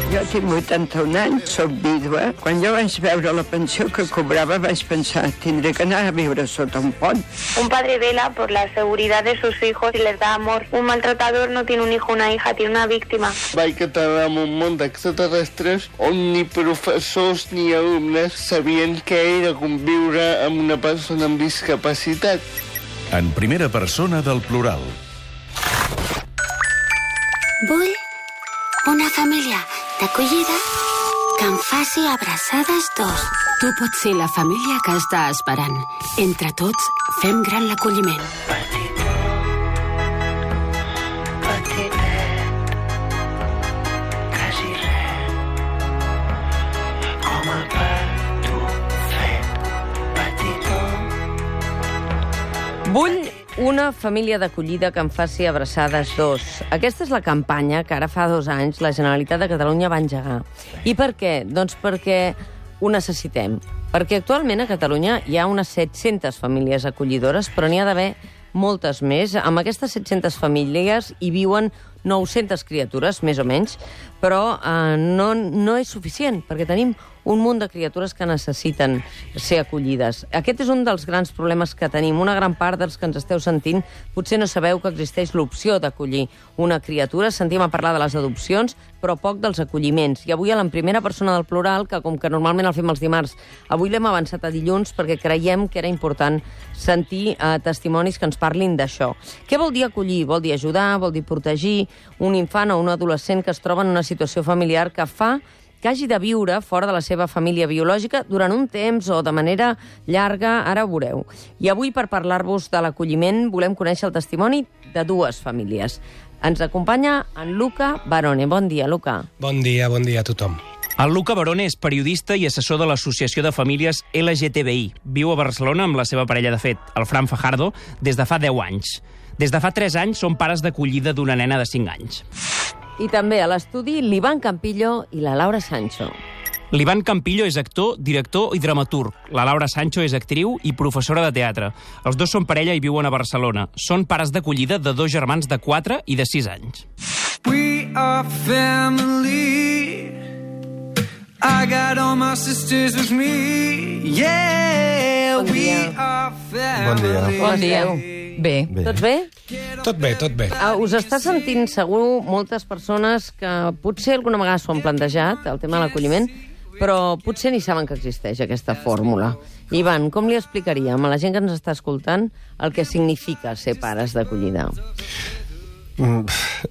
Jo tinc 81 anys, soc vídua. Quan jo vaig veure la pensió que cobrava vaig pensar, tindré que anar a viure sota un pont. Un padre vela por la seguridad de sus hijos y les da amor. Un maltratador no tiene un hijo o una hija, tiene una víctima. Vaig aterrar en un món d'extraterrestres on ni professors ni alumnes sabien què era conviure amb una persona amb discapacitat. En primera persona del plural. Vull una família d'acollida que em faci abraçades dos. Tu pots ser la família que està esperant. Entre tots, fem gran l'acolliment. Vull una família d'acollida que em faci abraçades dos. Aquesta és la campanya que ara fa 2 anys la Generalitat de Catalunya va engegar. I per què? Doncs perquè ho necessitem. Perquè actualment a Catalunya hi ha unes 700 famílies acollidores, però n'hi ha d'haver moltes més. Amb aquestes 700 famílies hi viuen 900 criatures, més o menys, però no és suficient, perquè tenim un munt de criatures que necessiten ser acollides. Aquest és un dels grans problemes que tenim. Una gran part dels que ens esteu sentint potser no sabeu que existeix l'opció d'acollir una criatura. Sentim a parlar de les adopcions, però poc dels acolliments. I avui, a la primera persona del plural, que com que normalment el fem els dimarts, avui l'hem avançat a dilluns perquè creiem que era important sentir testimonis que ens parlin d'això. Què vol dir acollir? Vol dir ajudar, vol dir protegir un infant o un adolescent que es troba en una situació familiar que fa que hagi de viure fora de la seva família biològica durant un temps o de manera llarga, ara ho veureu. I avui, per parlar-vos de l'acolliment, volem conèixer el testimoni de 2 famílies. Ens acompanya en Luca Barone. Bon dia, Luca. Bon dia a tothom. El Luca Barone és periodista i assessor de l'Associació de Famílies LGTBI. Viu a Barcelona amb la seva parella, de fet, el Fran Fajardo, des de fa 10 anys. Des de fa 3 anys són pares d'acollida d'una nena de 5 anys. I també a l'estudi l'Ivan Campillo i la Laura Sancho. L'Ivan Campillo és actor, director i dramaturg. La Laura Sancho és actriu i professora de teatre. Els dos són parella i viuen a Barcelona. Són pares d'acollida de 2 germans de 4 i de 6 anys. We are family. I got all my sisters with me. Yeah, we are family. Bon dia. Bé. Tots bé? Tot bé. Us està sentint segur moltes persones que potser alguna vegada s'ho han plantejat, el tema de l'acolliment, però potser ni saben que existeix aquesta fórmula. Ivan, com li explicaríem a la gent que ens està escoltant el que significa ser pares d'acollida?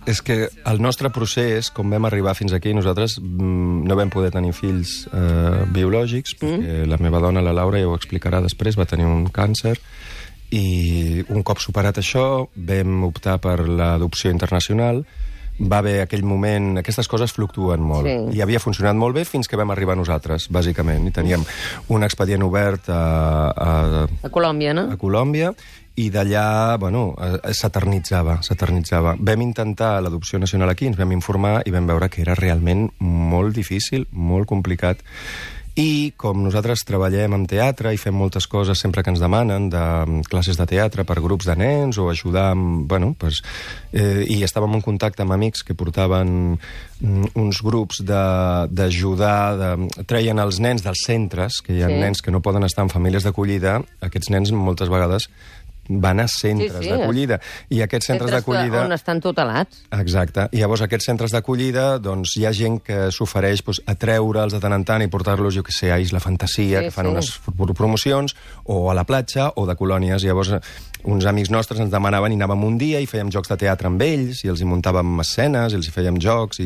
És que el nostre procés, com vam arribar fins aquí, nosaltres no vam poder tenir fills biològics, perquè la meva dona, la Laura, ja ho explicarà després, va tenir un càncer, i un cop superat això vam optar per l'adopció internacional. Va haver aquell moment... Aquestes coses fluctuen molt. I havia funcionat molt bé fins que vam arribar nosaltres, bàsicament. I teníem un expedient obert a Colòmbia, no? A Colòmbia, i d'allà, bueno, s'eternitzava. Vam intentar l'adopció nacional aquí, ens vam informar i vam veure que era realment molt difícil, molt complicat. I com nosaltres treballem en teatre i fem moltes coses sempre que ens demanen, de classes de teatre per grups de nens o ajudar amb... i estàvem en contacte amb amics que portaven uns grups d'ajudar... Treien els nens dels centres, que hi ha nens que no poden estar en famílies d'acollida, aquests nens moltes vegades van a centres d'acollida. I aquests centres d'acollida... On estan tutelats. Exacte. I llavors aquests centres d'acollida, doncs hi ha gent que s'ofereix a treure'ls de tant en tant i portar-los, jo que sé, a Isla Fantasia, que fan unes promocions, o a la platja, o de colònies. Llavors uns amics nostres ens demanaven i anàvem un dia i fèiem jocs de teatre amb ells, i els hi muntàvem escenes, i els hi fèiem jocs,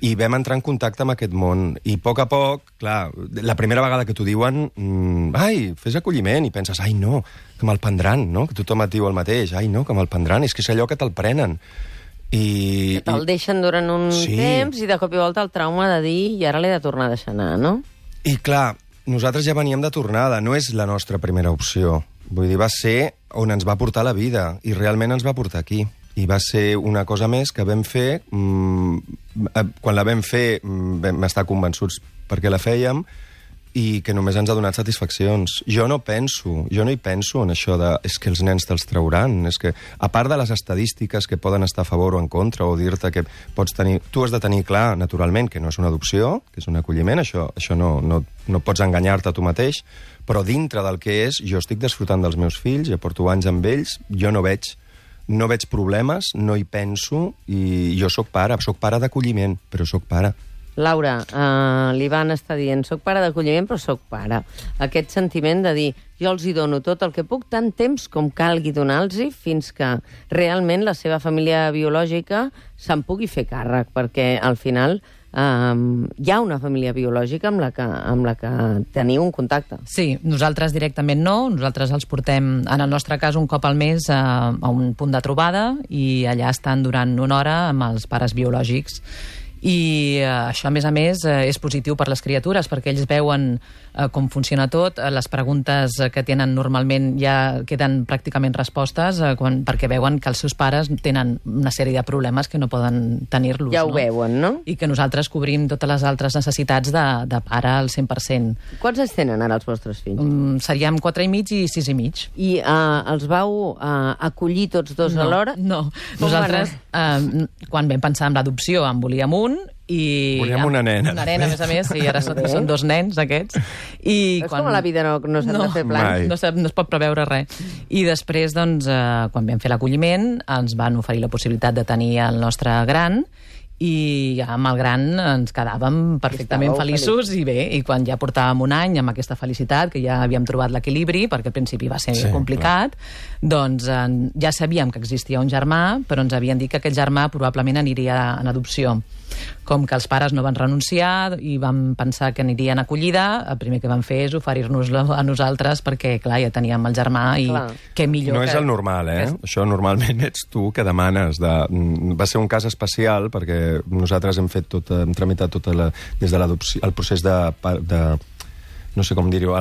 i vam entrar en contacte amb aquest món. I a poc, clar, la primera vegada que t'ho diuen, ai, fes acolliment, i penses, ai, no, que me'l prendran, no? Que tothom et diu el mateix, ai, no, que me'l prendran, és que és allò que te'l prenen. Que te'l deixen durant un temps i de cop i volta el trauma de dir i ara l'he de tornar a deixar anar, no? I clar, nosaltres ja veníem de tornada, no és la nostra primera opció. Vull dir, va ser on ens va portar la vida, i realment ens va portar aquí. I va ser una cosa més que vam fer... Quan la vam fer vam estar convençuts perquè la fèiem, i que només ens ha donat satisfaccions. Jo no hi penso en això de és que els nens te'ls trauran, és que, a part de les estadístiques que poden estar a favor o en contra, o dir-te que pots tenir... Tu has de tenir clar, naturalment, que no és una adopció, que és un acolliment, això no pots enganyar-te a tu mateix, però dintre del que és, jo estic disfrutant dels meus fills, ja porto anys amb ells, jo no veig problemes, no hi penso, i jo sóc pare d'acolliment, però sóc pare. Laura, l'Ivan està dient, soc pare d'acolliment, però soc pare. Aquest sentiment de dir, jo els hi dono tot el que puc, tant temps com calgui donar-los, fins que realment la seva família biològica se'n pugui fer càrrec, perquè al final hi ha una família biològica amb la que teniu un contacte. Sí, nosaltres directament no, nosaltres els portem, en el nostre cas, un cop al mes a un punt de trobada i allà estan durant una hora amb els pares biològics. I això, a més, és positiu per les criatures, perquè ells veuen com funciona tot, les preguntes que tenen normalment ja queden pràcticament respostes, perquè veuen que els seus pares tenen una sèrie de problemes que no poden tenir-los. Ja ho veuen, no? I que nosaltres cobrim totes les altres necessitats de pare al 100%. Quants anys tenen ara els vostres fills? Seríem 4 i mig i 6 i mig. I els vau acollir tots dos alhora? No. Nosaltres, quan vam pensar en l'adopció, en volíem un, i volíem una nena. Una nena, a més, sí, ara són 2 nens, aquests. És com a la vida, no s'han de fer plans. No es pot preveure res. I després, doncs, quan vam fer l'acolliment, ens van oferir la possibilitat de tenir el nostre gran, i amb el gran ens quedàvem perfectament feliços i bé, i quan ja portàvem un any amb aquesta felicitat, que ja havíem trobat l'equilibri, perquè al principi va ser complicat, doncs ja sabíem que existia un germà, però ens havien dit que aquell germà probablement aniria en adopció. Com que els pares no van renunciar i vam pensar que aniria en acollida, el primer que van fer és oferir-nos-la a nosaltres, perquè, clar, ja teníem el germà i què millor... No és el normal, Això normalment ets tu que demanes. Va ser un cas especial, perquè nosaltres hem tramitat des de l'adopció, el procés de no sé com dir-ho,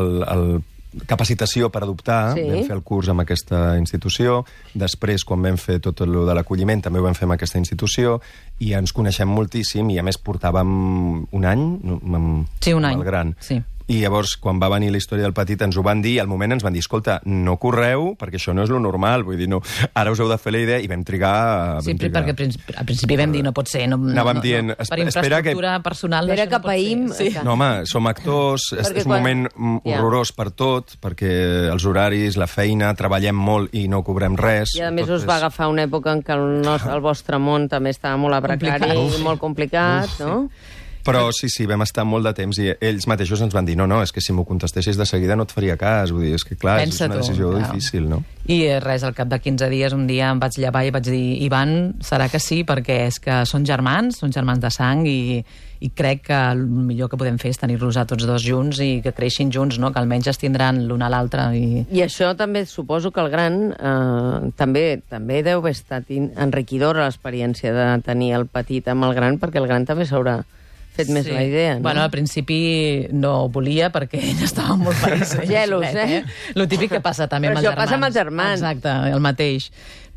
capacitació per adoptar, vam fer el curs amb aquesta institució, després quan vam fer tot el de l'acolliment també ho vam fer amb aquesta institució, i ens coneixem moltíssim, i a més portàvem un any amb el gran. Sí. I llavors, quan va venir la història del petit, ens ho van dir, i al moment ens van dir, escolta, no correu, perquè això no és lo normal, vull dir, no, ara us heu de fer la idea, i vam trigar... Sí, perquè al principi vam dir, no pot ser, anàvem dient, per infraestructura personal... Espera que païm... No, home, som actors, és un moment horrorós per tot, perquè els horaris, la feina, treballem molt i no cobrem res. I a més us va agafar una època en què el vostre món també estava molt precari i molt complicat, no? Però sí, vam estar molt de temps i ells mateixos ens van dir no, és que si m'ho contestessis de seguida no et faria cas. Vull dir, és que clar, és una decisió difícil, no? I res, al cap de 15 dies, un dia em vaig llevar i vaig dir, Ivan, serà que sí, perquè és que són germans de sang i crec que el millor que podem fer és tenir-los a tots dos junts i que creixin junts, no? Que almenys es tindran l'un a l'altre. I això també suposo que el gran també deu haver estat enriquidora l'experiència de tenir el petit amb el gran, perquè el gran també s'haurà fet més la idea, no? Bueno, al principi no ho volia perquè ell estava molt feliç. Gelos, Lo típic que passa també amb els germans. Però això passa amb els germans. Exacte, el mateix.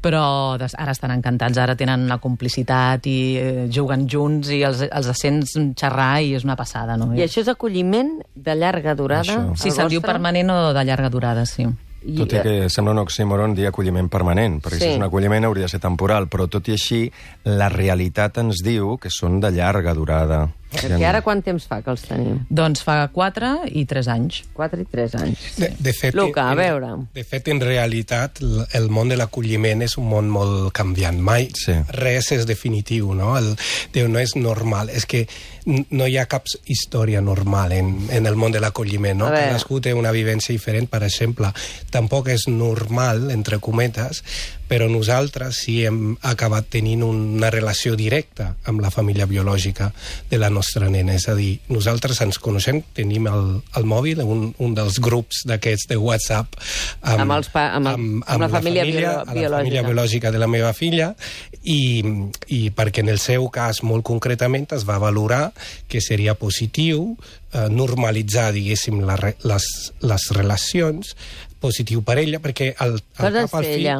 Però ara estan encantats, ara tenen una complicitat i juguen junts i els sents xerrar i és una passada, no? I això és acolliment de llarga durada? Sí, se'n diu permanent o de llarga durada, sí. Tot i que sembla un oxímoron dir acolliment permanent, perquè si és un acolliment hauria de ser temporal, però tot i així la realitat ens diu que són de llarga durada. Perquè ara quant temps fa que els teniu? Doncs fa 4 i 3 anys. 4 i 3 anys. De fet, Luca, a veure. De fet, en realitat, el món de l'acolliment és un món molt canviant. Mai res és definitiu, no? No és normal. És que no hi ha cap història normal en el món de l'acolliment, no? Cadascú té una vivència diferent, per exemple. Tampoc és normal, entre cometes, però nosaltres sí hem acabat tenint una relació directa amb la família biològica de la nostra nena. És a dir, nosaltres ens coneixem, tenim el mòbil, un dels grups d'aquests de WhatsApp amb la família biològica de la meva filla, i perquè en el seu cas, molt concretament, es va valorar que seria positiu normalitzar, diguéssim, les relacions, positiu per ella, perquè al cap al fill...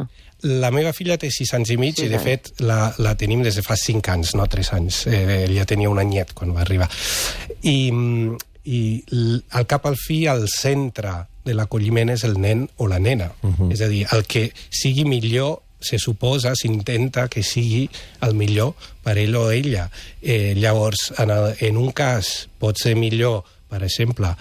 La meva filla té 6 anys i mig i, de fet, la tenim des de fa 5 anys, no 3 anys. Ella tenia un anyet quan va arribar. i al cap al fi el centre de l'acolliment és el nen o la nena. És a dir, el que sigui millor se suposa, s'intenta que sigui el millor per ell o ella. Llavors, en un cas pot ser millor, per exemple,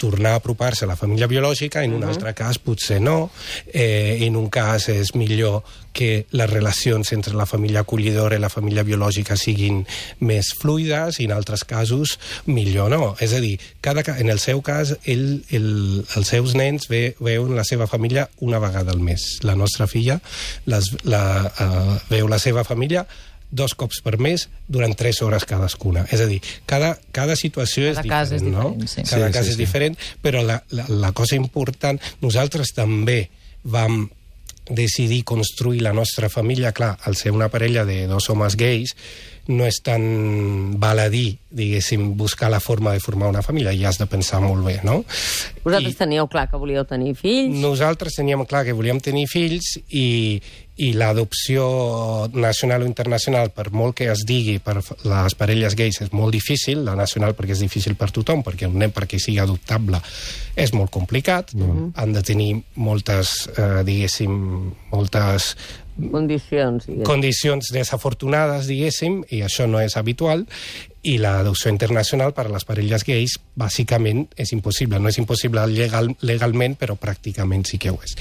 tornar a apropar-se a la família biològica, en un altre cas potser no. En un cas és millor que les relacions entre la família acollidora i la família biològica siguin més fluides, i en altres casos millor no. És a dir, en el seu cas, els seus nens veuen la seva família una vegada al mes. La nostra filla veu la seva família 2 cops per mes durant 3 hores cadascuna. És a dir, cada situació és diferent, no? Cada cas és diferent, però la cosa important, nosaltres també vam decidir construir la nostra família. Clar, al ser una parella de 2 homes gais, no és tan baladí, diguéssim, buscar la forma de formar una família, i has de pensar molt bé, no? Vosaltres teníeu clar que volíeu tenir fills? Nosaltres teníem clar que volíem tenir fills, i l'adopció nacional o internacional, per molt que es digui per les parelles gais, és molt difícil. La nacional perquè és difícil per tothom, perquè un nen, perquè sigui adoptable, és molt complicat. Han de tenir moltes, diguéssim, moltes condicions desafortunades, diguéssim, i això no és habitual. I l'adopció internacional per a les parelles gais bàsicament és impossible. No és impossible legalment, però pràcticament sí que ho és.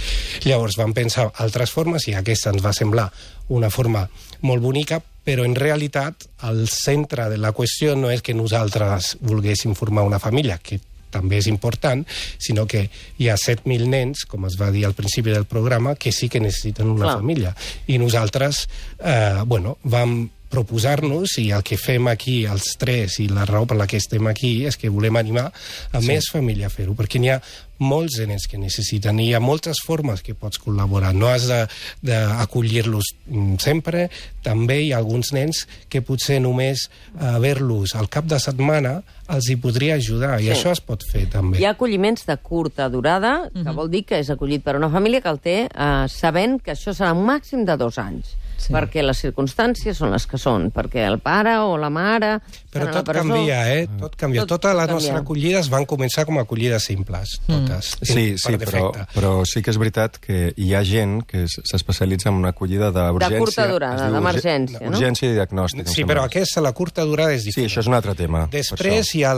Llavors vam pensar altres formes, i aquesta ens va semblar una forma molt bonica, però en realitat el centre de la qüestió no és que nosaltres volguéssim formar una família, que també és important, sinó que hi ha 7.000 nens, com es va dir al principi del programa, que sí que necessiten una família. I nosaltres, vam proposar-nos, i el que fem aquí els 3, i la raó per la que estem aquí, és que volem animar a més família a fer-ho, perquè n'hi ha molts nens que necessiten, i hi ha moltes formes que pots col·laborar. No has d'acollir-los sempre. També hi ha alguns nens que potser només ver-los al cap de setmana els hi podria ajudar, i això es pot fer també. Hi ha acolliments de curta durada, que vol dir que és acollit per una família que el té sabent que això serà un màxim de 2 anys. Perquè les circumstàncies són les que són, perquè el pare o la mare... Però tot canvia, Tot canvia. Totes les nostres acollides van començar com a acollides simples, totes. Sí, però sí que és veritat que hi ha gent que s'especialitza en una acollida d'urgència. De curta durada, d'emergència, no? Urgència i diagnòstic. Sí, però aquesta, la curta durada, és diferent. Sí, això és un altre tema. Després hi ha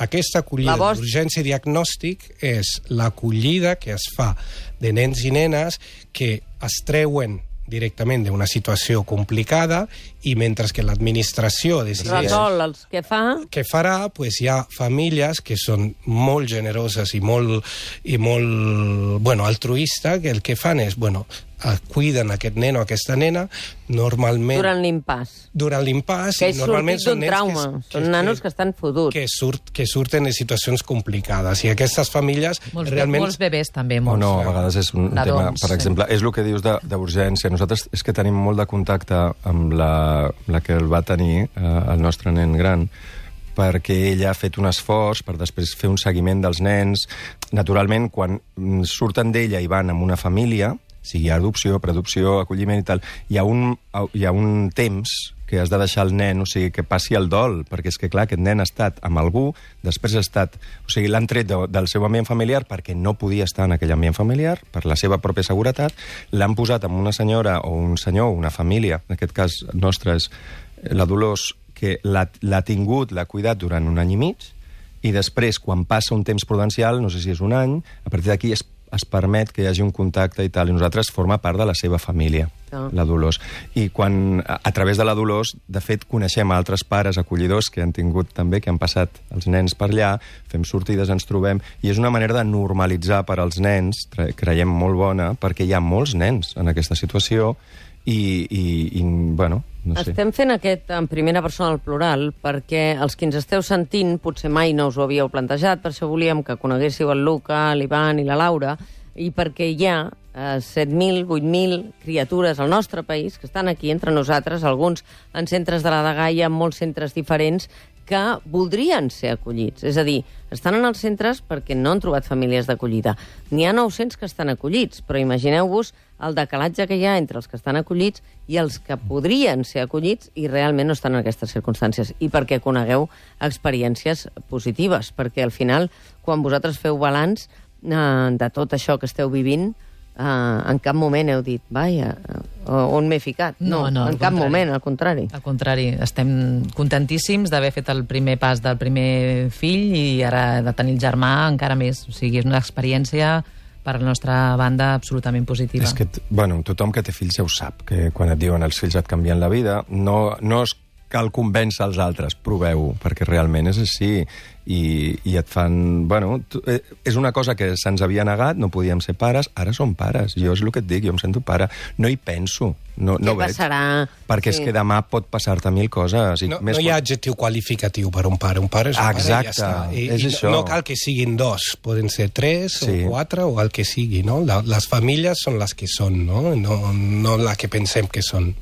aquesta acollida d'urgència i diagnòstic, és l'acollida que es fa de nens i nenes que es treuen directament d'una situació complicada, i mentre que l'administració decideix resol els que fa, què farà, hi ha famílies que són molt generoses i molt altruistes, que el que fan és, cuiden aquest nen o aquesta nena, normalment... Durant l'impàs. Que és sortit d'un trauma. Són nanos que estan fotuts. Que surten de situacions complicades. I aquestes famílies realment... Molts bebès també. A vegades és un tema, per exemple, és el que dius d'urgència. Nosaltres és que tenim molt de contacte amb la que el va tenir, el nostre nen gran, perquè ella ha fet un esforç per després fer un seguiment dels nens. Naturalment, quan surten d'ella i van amb una família, sigui adopció, preadopció, acolliment i tal, hi ha un temps que has de deixar el nen, o sigui, que passi el dol, perquè és que, clar, aquest nen ha estat amb algú, després ha estat... O sigui, l'han tret del seu ambient familiar perquè no podia estar en aquell ambient familiar, per la seva pròpia seguretat, l'han posat amb una senyora o un senyor, una família, en aquest cas nostra és la Dolors, que l'ha tingut, l'ha cuidat durant 1 any i mig, i després, quan passa un temps prudencial, no sé si és 1 any, a partir d'aquí es permet que hi hagi un contacte i tal, i nosaltres forma part de la seva família, la Dolors. I quan, a través de la Dolors, de fet, coneixem altres pares acollidors que han tingut també, que han passat els nens per allà, fem sortides, ens trobem, i és una manera de normalitzar per als nens, creiem molt bona, perquè hi ha molts nens en aquesta situació, no sé. Estem fent aquest en primera persona al plural perquè els que ens esteu sentint potser mai no us ho havíeu plantejat, per això volíem que coneguéssiu el Luca, l'Ivan i la Laura, i perquè hi ha 7.000, 8.000 criatures al nostre país que estan aquí entre nosaltres, alguns en centres de la Dgaia, en molts centres diferents, que voldrien ser acollits. És a dir, estan en els centres perquè no han trobat famílies d'acollida. N'hi ha 900 que estan acollits, però imagineu-vos el decalatge que hi ha entre els que estan acollits i els que podrien ser acollits i realment no estan en aquestes circumstàncies. I perquè conegueu experiències positives, perquè al final, quan vosaltres feu balanç de tot això que esteu vivint, en cap moment heu dit, vaja, on m'he ficat? No, en cap moment, al contrari. Al contrari, estem contentíssims d'haver fet el primer pas del primer fill i ara de tenir el germà encara més. O sigui, és una experiència per la nostra banda absolutament positiva. És que, tothom que té fills ja ho sap, que quan et diuen els fills et canvien la vida, no cal convèncer els altres, proveu-ho, perquè realment és així. I et fan... és una cosa que se'ns havia negat, no podíem ser pares, ara som pares. Jo és el que et dic, jo em sento pare. No hi penso. No Què passarà? Perquè és que demà pot passar-te mil coses. No hi ha adjectiu qualificatiu per un pare. Un pare és un pare, ja està. És això. No cal que siguin dos, poden ser 3 o 4 o el que sigui, no? Les famílies són les que són, no la que pensem que són.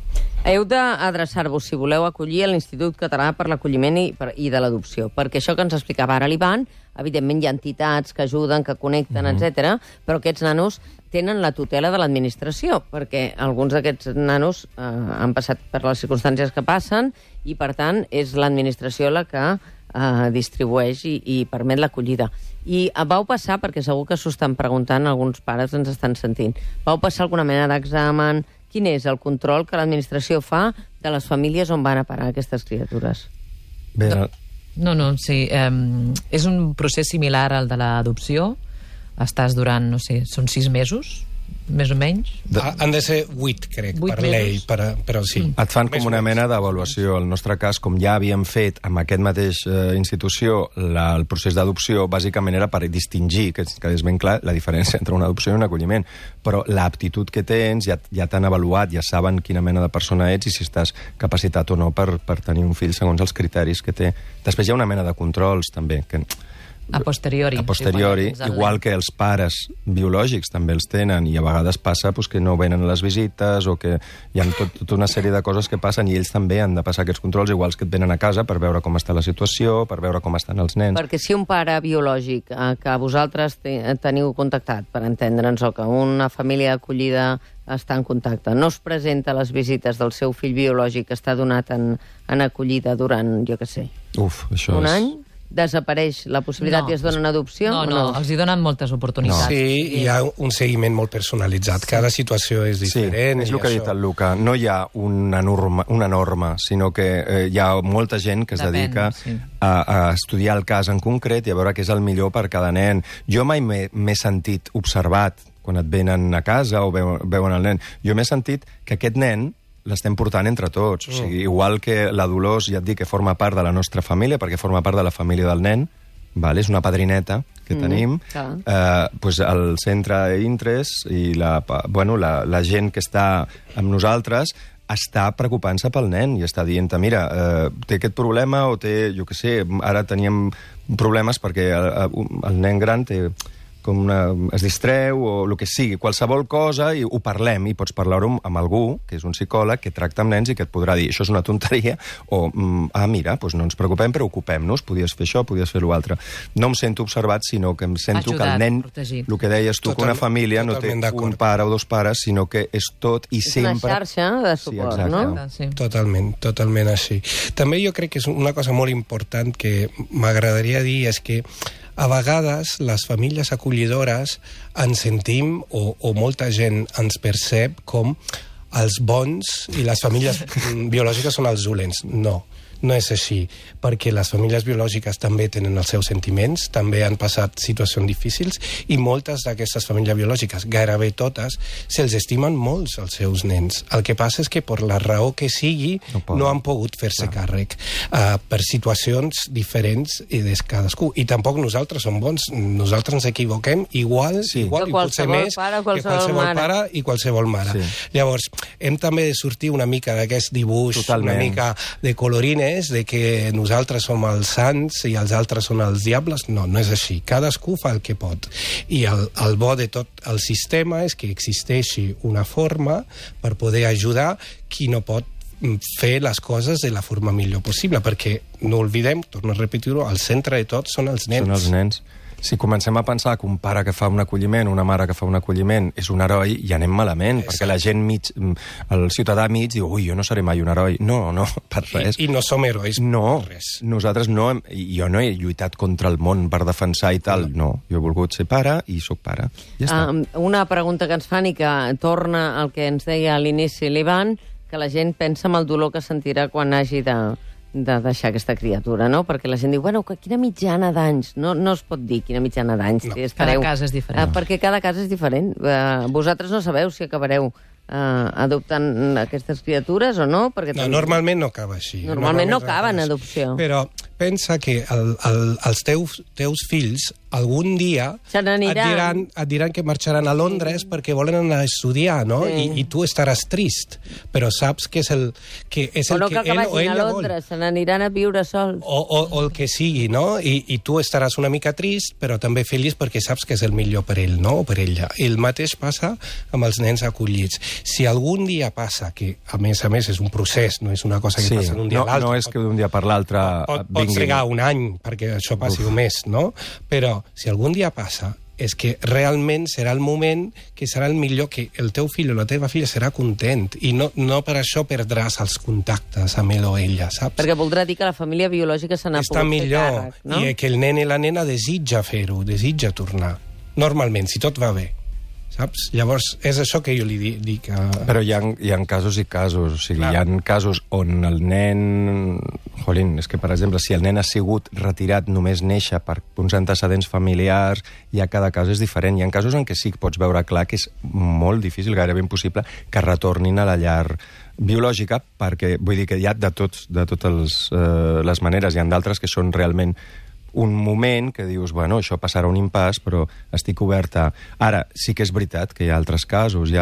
Heu d'adreçar-vos, si voleu, acollir a l'Institut Català per l'Acolliment i de l'Adopció, perquè això que ens explicava ara l'Ivan, evidentment hi ha entitats que ajuden, que connecten, etc., però aquests nanos tenen la tutela de l'administració, perquè alguns d'aquests nanos han passat per les circumstàncies que passen i, per tant, és l'administració la que distribueix i permet l'acollida. I vau passar, perquè segur que s'ho estan preguntant, alguns pares ens estan sentint, vau passar alguna mena d'examen? Quin és el control que l'administració fa de les famílies on van a parar aquestes criatures? Sí. És un procés similar al de l'adopció. Estàs durant, són 6 mesos, més o menys. Han de ser 8, crec, per llei, però sí. Et fan com una mena d'avaluació. En el nostre cas, com ja havíem fet amb aquest mateix institució el procés d'adopció, bàsicament era per distingir, que és ben clar, la diferència entre una adopció i un acolliment. Però l'aptitud que tens ja t'han avaluat, ja saben quina mena de persona ets i si estàs capacitat o no per tenir un fill segons els criteris que té. Després hi ha una mena de controls, també, que... A posteriori, igual que els pares biològics també els tenen, i a vegades passa que no venen a les visites o que hi ha tota una sèrie de coses que passen i ells també han de passar aquests controls, iguals que et venen a casa per veure com està la situació, per veure com estan els nens. Perquè si un pare biològic que vosaltres teniu contactat, per entendre'ns, o que una família d'acollida està en contacte, no es presenta a les visites del seu fill biològic que està donat en acollida durant, jo què sé, un any, desapareix la possibilitat i es dona una adopció? No, els hi donen moltes oportunitats. Sí, hi ha un seguiment molt personalitzat. Cada situació és diferent. Sí, és el que ha dit el Luca. No hi ha una norma, sinó que hi ha molta gent que es dedica a estudiar el cas en concret i a veure què és el millor per cada nen. Jo mai m'he sentit observat quan et venen a casa o veuen el nen. Jo m'he sentit que aquest nen l'estem portant entre tots. O sigui, igual que la Dolors, ja et dic, que forma part de la nostra família, perquè forma part de la família del nen, és una padrineta que tenim, el centre Intres i la gent que està amb nosaltres està preocupant-se pel nen i està dient, mira, té aquest problema o té, jo què sé, ara teníem problemes perquè el nen gran té... es distreu o el que sigui, qualsevol cosa, i ho parlem, i pots parlar-ho amb algú, que és un psicòleg, que tracta amb nens i que et podrà dir això és una tonteria, o mira, no ens preocupem, però ocupem-nos, podies fer això, podies fer l'altre. No em sento observat, sinó que em sento que el nen, el que deies tu, que una família no té un pare o dos pares, sinó que és tot i sempre... És una xarxa de suport, no? Totalment així. També jo crec que és una cosa molt important que m'agradaria dir, és que a vegades les famílies acollidores ens sentim, o molta gent ens percep com els bons i les famílies biològiques són els dolents. No és així, perquè les famílies biològiques també tenen els seus sentiments, també han passat situacions difícils, i moltes d'aquestes famílies biològiques, gairebé totes, se'ls estimen molts els seus nens. El que passa és que per la raó que sigui no han pogut fer-se càrrec per situacions diferents de cadascú. I tampoc nosaltres som bons, nosaltres ens equivoquem igual i potser més que qualsevol pare i qualsevol mare. Llavors, hem també de sortir una mica d'aquest dibuix, una mica de colorines, de que nosaltres som els sants i els altres són els diables. No és així. Cadascú fa el que pot. I el bo de tot el sistema és que existeixi una forma per poder ajudar qui no pot fer les coses de la forma millor possible, perquè no oblidem, torno a repetir-ho, al centre de tot són els nens. Són els nens. Si comencem a pensar que un pare que fa un acolliment, una mare que fa un acolliment, és un heroi, ja anem malament, perquè la gent el ciutadà mig diu, ui, jo no seré mai un heroi. No, per res. I no som herois no, per res. Nosaltres no, jo no he lluitat contra el món per defensar i tal, no. Jo he volgut ser pare i sóc pare. Ja està. Una pregunta que ens fan i que torna al que ens deia a l'inici l'Ivan, que la gent pensa en el dolor que sentirà quan hagi de deixar aquesta criatura, no? Perquè la gent diu, bueno, quina mitjana d'anys? No es pot dir quina mitjana d'anys. No. Cada cas és diferent. Perquè cada cas és diferent. Vosaltres no sabeu si acabareu adoptant aquestes criatures o no? Perquè normalment no acaba així. Normalment no acaba en adopció. Però pensa que els teus fills algun dia et diran que marxaran a Londres perquè volen anar a estudiar, no? I tu estaràs trist, però saps que és el que ell o ella vol. Se n'aniran a viure sols. O el que sigui, no? I tu estaràs una mica trist, però també feliç perquè saps que és el millor per ell, no? O per ella. El mateix passa amb els nens acollits. Si algun dia passa, que a més és un procés, no és una cosa que passa d'un dia a l'altre. No és que d'un dia per l'altre pot trigar un any perquè això passi un mes, no? Però si algun dia passa, és que realment serà el moment que serà el millor, que el teu fill o la teva filla serà content, i no per això perdràs els contactes amb ell o ella, saps? Perquè voldrà dir que la família biològica se n'ha pogut fer càrrec, no? I que el nen i la nena desitja fer-ho, desitja tornar. Normalment, si tot va bé. Saps? Llavors, és això que jo li dic. Però hi ha casos i casos. O sigui, hi ha casos on el nen... Jolín, és que, per exemple, si el nen ha sigut retirat només néixer per uns antecedents familiars, ja cada cas és diferent. Hi ha casos en què sí que pots veure clar que és molt difícil, gairebé impossible, que retornin a la llar biològica, perquè vull dir que hi ha de totes les maneres. Hi ha d'altres que són realment un moment que dius, bueno, això passarà un impàs, però estic oberta. Ara, sí que és veritat que hi ha altres casos.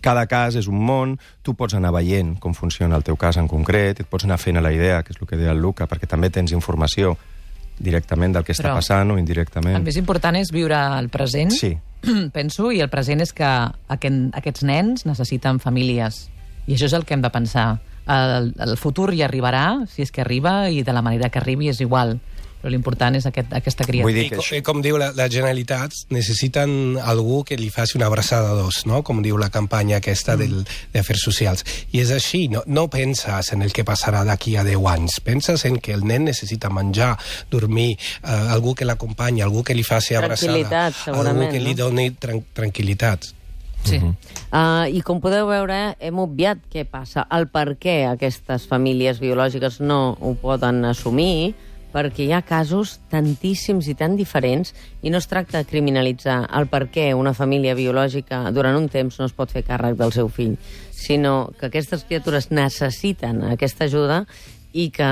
Cada cas és un món, tu pots anar veient com funciona el teu cas en concret, et pots anar fent a la idea, que és el que deia el Luca, perquè també tens informació directament del que està passant o indirectament. El més important és viure el present, penso, i el present és que aquests nens necessiten famílies. I això és el que hem de pensar. El futur hi arribarà, si és que arriba, i de la manera que arribi és igual. Però l'important és aquesta criatura. I com diu la Generalitat, necessiten algú que li faci una abraçada d'os, no? Com diu la campanya aquesta d'Afers Socials. I és així, no penses en el que passarà d'aquí a 10 anys, penses en que el nen necessita menjar, dormir, algú que l'acompanyi, algú que li faci abraçada, algú que li doni tranquil·litat. Sí. I com podeu veure, hem obviat què passa, el per què aquestes famílies biològiques no ho poden assumir, perquè hi ha casos tantíssims i tan diferents, i no es tracta de criminalitzar el per què una família biològica durant un temps no es pot fer càrrec del seu fill, sinó que aquestes criatures necessiten aquesta ajuda i que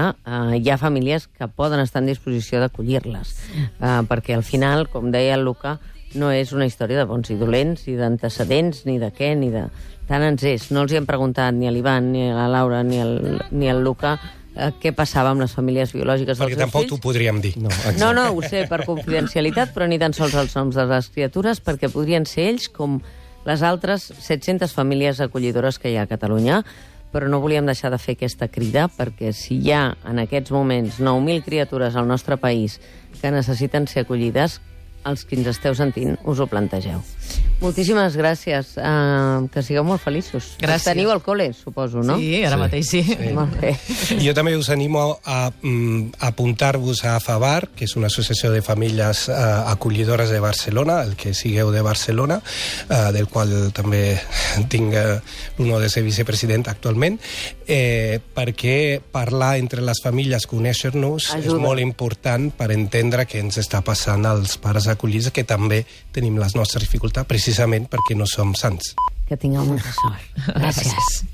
hi ha famílies que poden estar en disposició d'acollir-les. Perquè al final, com deia el Luca, no és una història de bons i dolents, ni d'antecedents, ni de què, ni de... Tant ens és. No els hi hem preguntat ni a l'Ivan, ni a la Laura, ni al Luca què passava amb les famílies biològiques dels seus fills. Perquè tampoc t'ho podríem dir. No, ho sé, per confidencialitat, però ni tan sols els noms de les criatures, perquè podrien ser ells com les altres 700 famílies acollidores que hi ha a Catalunya, però no volíem deixar de fer aquesta crida, perquè si hi ha en aquests moments 9.000 criatures al nostre país que necessiten ser acollides, els que ens esteu sentint us ho plantegeu. Moltíssimes gràcies. Que sigueu molt feliços. Gràcies. Teniu al col·le, suposo, no? Sí, ara mateix sí. Molt bé. Jo també us animo a apuntar-vos a FAVAR, que és una associació de famílies acollidores de Barcelona, el que sigueu de Barcelona, del qual també tinc l'honor de ser vicepresident actualment, perquè parlar entre les famílies, conèixer-nos, és molt important per entendre què ens està passant als pares acollits, que també tenim les nostres dificultats precisament perquè no som sants. Que tingueu molta sort. Gràcies.